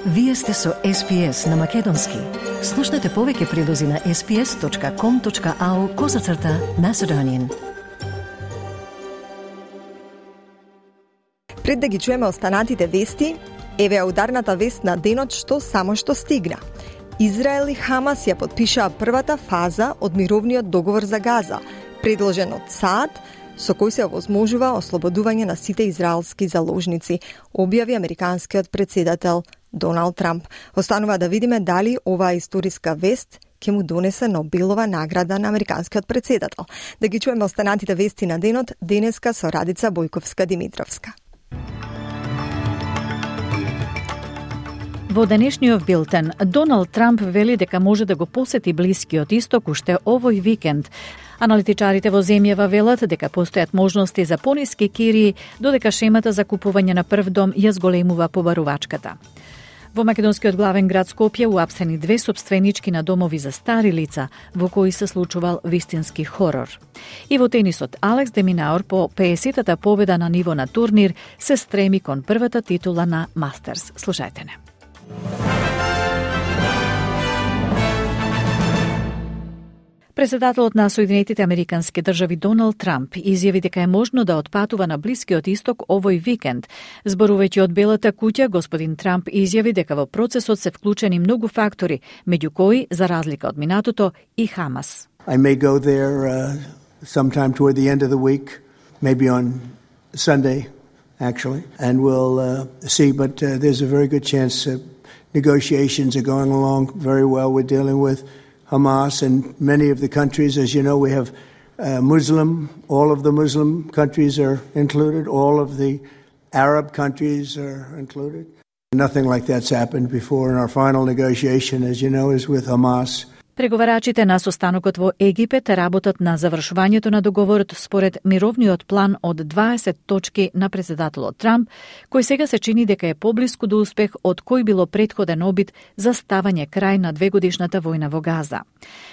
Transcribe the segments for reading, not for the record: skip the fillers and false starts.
Вие сте со SPS на Македонски. Слушнете повеќе прилози на sps.com.au/Macedonian. Пред да ги чуеме останатите вести, еве ударната вест на денот што само што стигна. Израел и Хамас ја потпишаа првата фаза од мировниот договор за Газа, предложен од САД, со кој се овозможува ослободување на сите израелски заложници, објави американскиот председател Доналд Трамп. Останува да видиме дали оваа историска вест ќе му донесе Нобелова награда на американскиот председател. Да ги чуеме останатите вести на денот, денеска со Радица Бојковска-Димитровска. Во денешниот билтен, Доналд Трамп вели дека може да го посети Блискиот Исток уште овој викенд. Аналитичарите во земјава велат дека постојат можности за пониски кирии, додека шемата за купување на прв дом ја зголемува побарувачката. Во македонскиот главен град Скопје уапсени 2 сопственички на домови за стари лица, во кои се случувал вистински хорор. И во тенисот, Алекс де Минаур по 50-та победа на ниво на турнир се стреми кон првата титула на Мастерс. Слушајте не. Председателот на Соединетите Американски држави Доналд Трамп изјави дека е можно да отпатува на Блискиот Исток овој викенд. Зборувајќи од Белата куќа, господин Трамп изјави дека во процесот се вклучени многу фактори, меѓу кои, за разлика од минатото, и Хамас. I may go there sometime toward the end of the week, maybe on Sunday, actually, and we'll see, but there's a very good chance negotiations are going along very well. We're dealing with Hamas and many of the countries. As you know, we have Muslim, all of the Muslim countries are included, all of the Arab countries are included. Nothing like that's happened before, and our final negotiation, as you know, is with Hamas. Преговарачите на состанокот во Египет работат на завршувањето на договорот според мировниот план од 20 точки на председателот Трамп, кој сега се чини дека е поблиску до успех од кој било претходен обид за ставање крај на 2-годишната војна во Газа.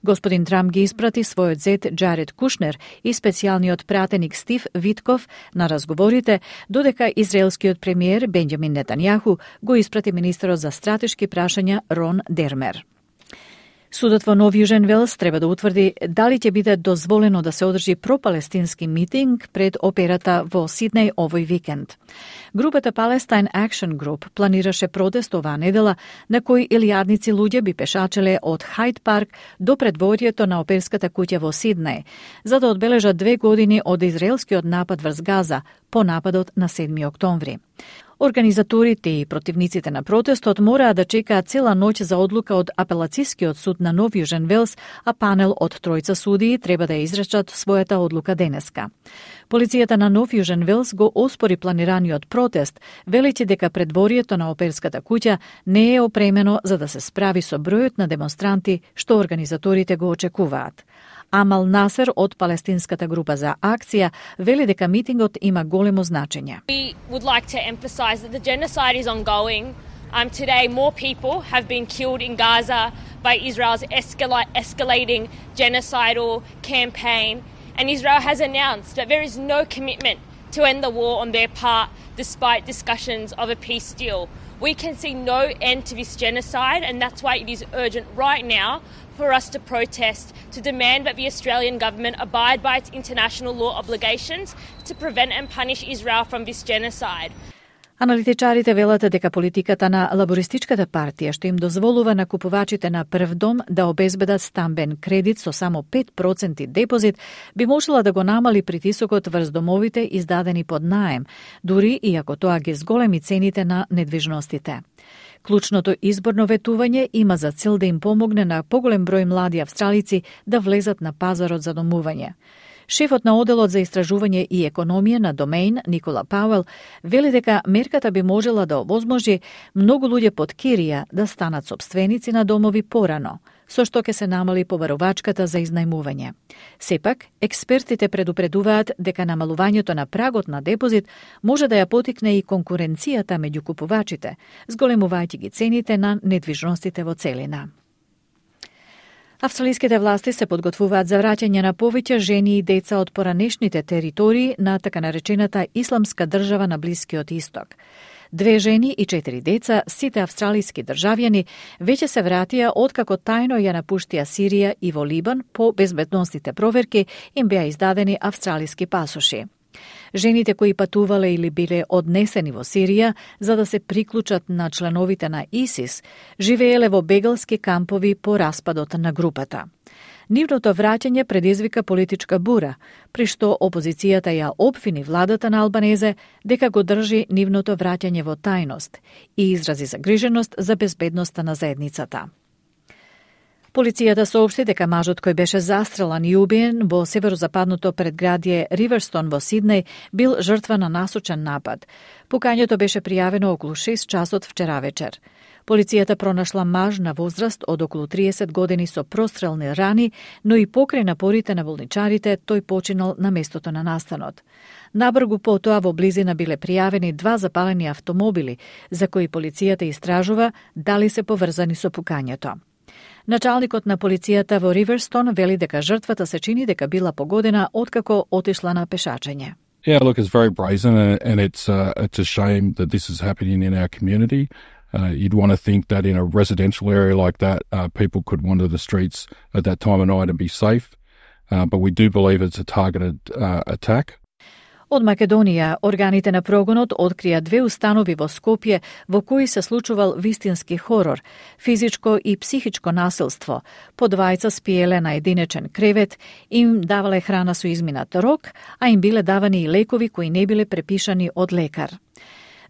Господин Трамп ги испрати својот зет Джаред Кушнер и специјалниот пратеник Стив Витков на разговорите, додека израелскиот премиер Бенџамин Нетањаху го испрати министерот за стратешки прашања Рон Дермер. Судот во Нов Јужен Велс треба да утврди дали ќе биде дозволено да се одржи пропалестински митинг пред операта во Сиднеј овој викенд. Групата Palestine Action Group планираше протест оваа недела на кој илјадници луѓе би пешачеле од Хайд парк до предворието на оперската куќа во Сиднеј, за да одбележат 2 години од израелскиот напад врз Газа по нападот на 7 октомври. Организаторите и противниците на протестот мораа да чекаат цела ноќ за одлука од апелацискиот суд на Нов Јужен Велс, а панел од 3 судии треба да изречат својата одлука денеска. Полицијата на Нов Јужен Велс го оспори планираниот протест, велејќи дека предворието на оперската куќа не е опремено за да се справи со бројот на демонстранти што организаторите го очекуваат. Амал Насер од палестинската група за акција вели дека митингот има големо значење. We would like to emphasize that the genocide is ongoing. Today more people have been killed in Gaza by Israel's escalating genocidal campaign, and Israel has announced that there is no commitment to end the war on their part despite discussions of a peace deal. We can see no end to this genocide, and that's why it is urgent right now for us to protest, to demand that the Australian government abide by its international law obligations to prevent and punish Israel from this genocide. Аналитичарите велат дека политиката на Лабористичката партија што им дозволува на купувачите на прв дом да обезбедат стамбен кредит со само 5% депозит би можела да го намали притисокот врз домовите издадени под наем, дури и ако тоа ги зголеми цените на недвижностите. Клучното изборно ветување има за цел да им помогне на поголем број млади австралици да влезат на пазарот за домување. Шефот на оделот за истражување и економија на Домеин, Никола Пауел, вели дека мерката би можела да овозможи многу луѓе под кирија да станат сопственици на домови порано, со што ќе се намали побарувачката за изнајмување. Сепак, експертите предупредуваат дека намалувањето на прагот на депозит може да ја потикне и конкуренцијата меѓу купувачите, зголемувајќи ги цените на недвижностите во целина. Австралиските власти се подготвуваат за враќање на повеќе жени и деца од поранешните територии на така наречената Исламска држава на Блискиот Исток. 2 жени и 4 деца, сите австралиски државјани, веќе се вратија откако тајно ја напуштија Сирија и во Либан по безбедносните проверки им беа издадени австралиски пасоши. Жените кои патувале или биле однесени во Сирија за да се приклучат на членовите на ИСИС, живееле во бегалски кампови по распадот на групата. Нивното враќање предизвика политичка бура, при што опозицијата ја обвини владата на Албанезе дека го држи нивното враќање во тајност и изрази загриженост за безбедноста на заедницата. Полицијата соопшти дека мажот кој беше застрелан и убиен во северозападното предградие Риверстон во Сиднеј бил жртва на насочен напад. Покањето беше пријавено околу 6 часот вчера вечер. Полицијата пронашла маж на возраст од околу 30 години со прострелни рани, но и покрај напорите на болничарите, тој починал на местото на настанот. Набргу потоа во близина биле пријавени 2 запалени автомобили, за кои полицијата истражува дали се поврзани со пукањето. Началникот на полицијата во Риверстон вели дека жртвата се чини дека била погодена откако отишла на пешачење. Yeah, look, it's very brazen, and it's a shame that this is happening in our community. You'd want to think that in a residential area like that, people could wander the streets at that time of night and be safe. But we do believe it's a targeted attack. Од Македонија, органите на прогонот открија 2 установи во Скопје во кои се случувал вистински хорор, физичко и психичко насилство. По двајца спиеле на единечен кревет, им давале храна со изминат рок, а им биле давани и лекови кои не биле препишани од лекар.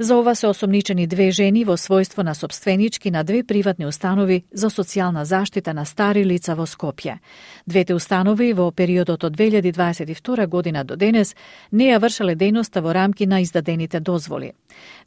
За ова се осомничени 2 жени во својство на собственички на 2 приватни установи за социјална заштита на стари лица во Скопје. Двете установи во периодот од 2022 година до денес не ја вршеле дејноста во рамки на издадените дозволи.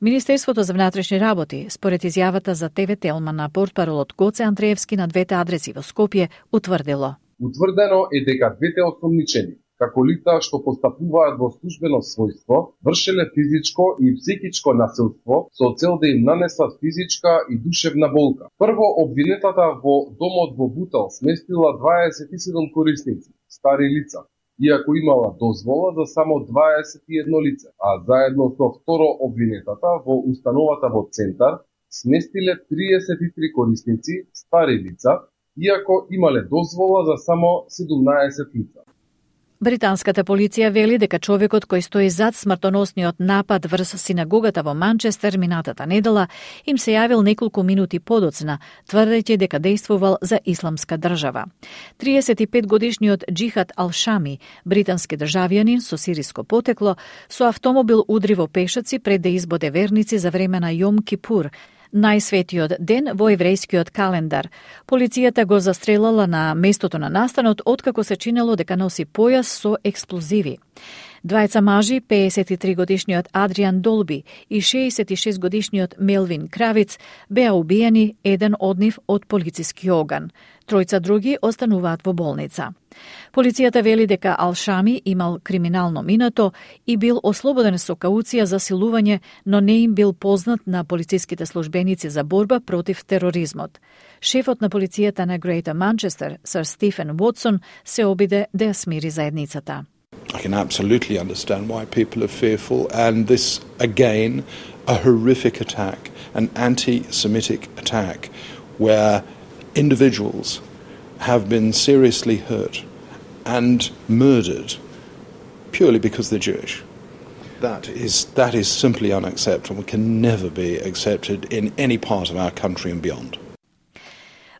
Министерството за внатрешни работи, според изјавата за ТВ Телма на портпаролот Гоце Андреевски на 2 адреси во Скопје, утврдило. Утврдено е дека двете осомничени како лица што постапуваат во службено својство, вршеле физичко и психичко насилство со цел да им нанесат физичка и душевна болка. Прво, обвинетата во домот во Бутел сместила 27 корисници, стари лица, иако имала дозвола за само 21 лице, а заедно со второ обвинетата во установата во Центар сместиле 33 корисници, стари лица, иако имале дозвола за само 17 лица. Британската полиција вели дека човекот кој стои зад смртоносниот напад врз синагогата во Манчестер минатата недела им се јавил неколку минути подоцна, тврдејќи дека действувал за исламска држава. 35-годишниот Џихад Ал-Шами, британски државјанин со сириско потекло, со автомобил удри во пешаци пред да избоде верници за време на Јом Кипур, најсветиот ден во еврејскиот календар. Полицијата го застрелала на местото на настанот откако се чинело дека носи појас со експлозиви. Двајца мажи, 53-годишниот Адриан Долби и 66-годишниот Мелвин Кравиц, беа убиени, еден од нив од полициски оган. Тројца други остануваат во болница. Полицијата вели дека Ал-Шами имал криминално минато и бил ослободен со кауција за силување, но не им бил познат на полициските службеници за борба против тероризмот. Шефот на полицијата на Грејтер Манчестер, Сир Стефен Уотсон, се обиде да ја смири заедницата. I can absolutely understand why people are fearful, and this, again, a horrific attack, an anti-Semitic attack, where individuals have been seriously hurt and murdered purely because they're Jewish. That is simply unacceptable and can never be accepted in any part of our country and beyond.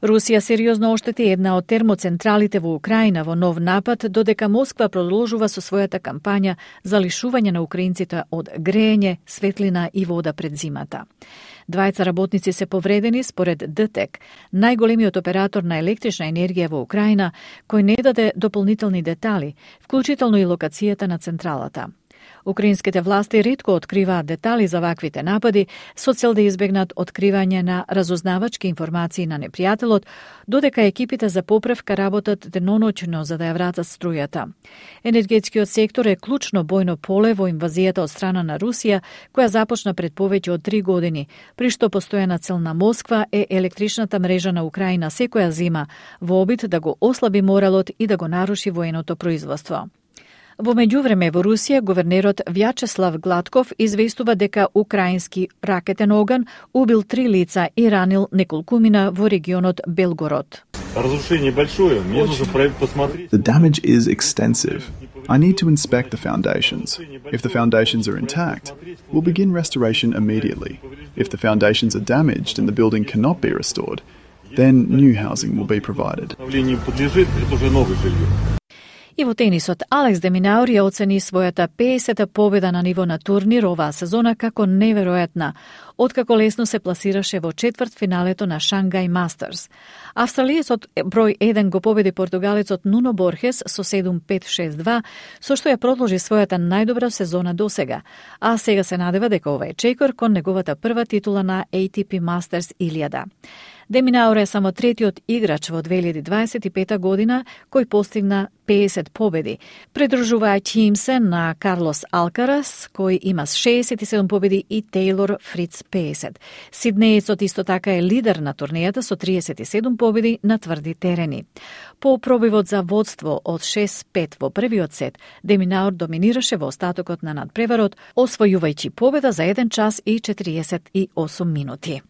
Русија сериозно оштети една од термоцентралите во Украина во нов напад, додека Москва продолжува со својата кампања за лишување на украинците од грејење, светлина и вода пред зимата. Двајца работници се повредени според ДТЕК, најголемиот оператор на електрична енергија во Украина, кој не даде дополнителни детали, вклучително и локацијата на централата. Украинските власти ретко откриваат детали за ваквите напади со цел да избегнат откривање на разузнавачки информации на непријателот, додека екипите за поправка работат деноноќно за да ја вратат струјата. Енергетскиот сектор е клучно бојно поле во инвазијата од страна на Русија, која започна пред повеќе од 3 години, при што постојана цел на Москва е електричната мрежа на Украина секоја зима, во обид да го ослаби моралот и да го наруши военото производство. Во меѓувреме во Русија, гувернерот Вјачеслав Гладков известува дека украински ракетен оган убил 3 лица и ранил неколкумина во регионот Белгород. The damage is extensive. I need to inspect the foundations. If the foundations are intact, we'll begin restoration immediately. If the foundations are damaged and the building cannot be restored, then new housing will be provided. И во тенисот, Алекс де Минаур ја оцени својата 50-та победа на ниво на турнир оваа сезона како неверојатна, откако лесно се пласираше во четвртфиналето на Шангај Мастерс. Австралиецот број 1 го победи португалецот Нуно Борхес со 7-5-6-2, со што ја продолжи својата најдобра сезона досега, а сега се надева дека ова е чекор кон неговата прва титула на ATP Masters 1000. Де Минаур е само третиот играч во 2025 година кој постигна 50 победи, придружувајќи им се на Карлос Алкарас, кој има 67 победи, и Тейлор Фриц 50. Сиднеецот исто така е лидер на турнијата со 37 победи на тврди терени. По пробивот за водство од 6-5 во првиот сет, Де Минаур доминираше во остатокот на надпреварот, освојувајќи победа за 1 час и 48 минути.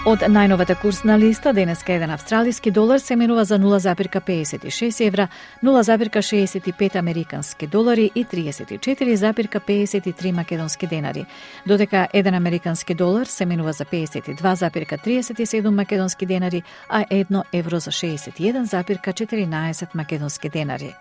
Од најновата курсна листа, денеска еден австралиски долар се менува за 0,56 евра, 0,65 американски долари и 34,53 македонски денари, додека еден американски долар се менува за 52,37 македонски денари, а 1 евро за 61,14 македонски денари.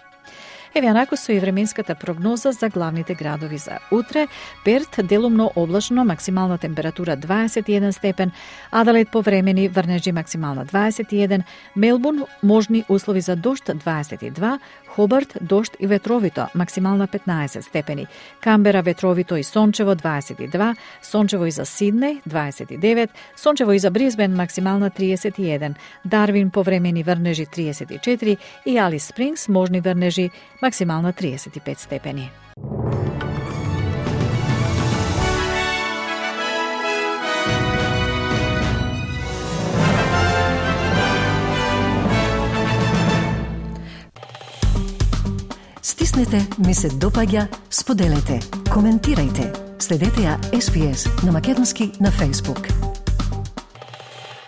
Еве анако со и временската прогноза за главните градови за утре. Перт делумно облачно, максимална температура 21 степен, Аделаид повремени, врнежи максимална 21, Мелбурн можни услови за дожд 22, Хобарт дожд и ветровито, максимална 15 степени, Камбера ветровито и сончево 22, сончево и за Сиднеј 29, сончево и за Брисбен максимална 31, Дарвин повремени врнежи 34 и Алис Спрингс можни врнежи максимална 35 степени. Стиснете, ми се допаѓа, споделете, коментирајте. Следете ја SPS на Македонски на Facebook.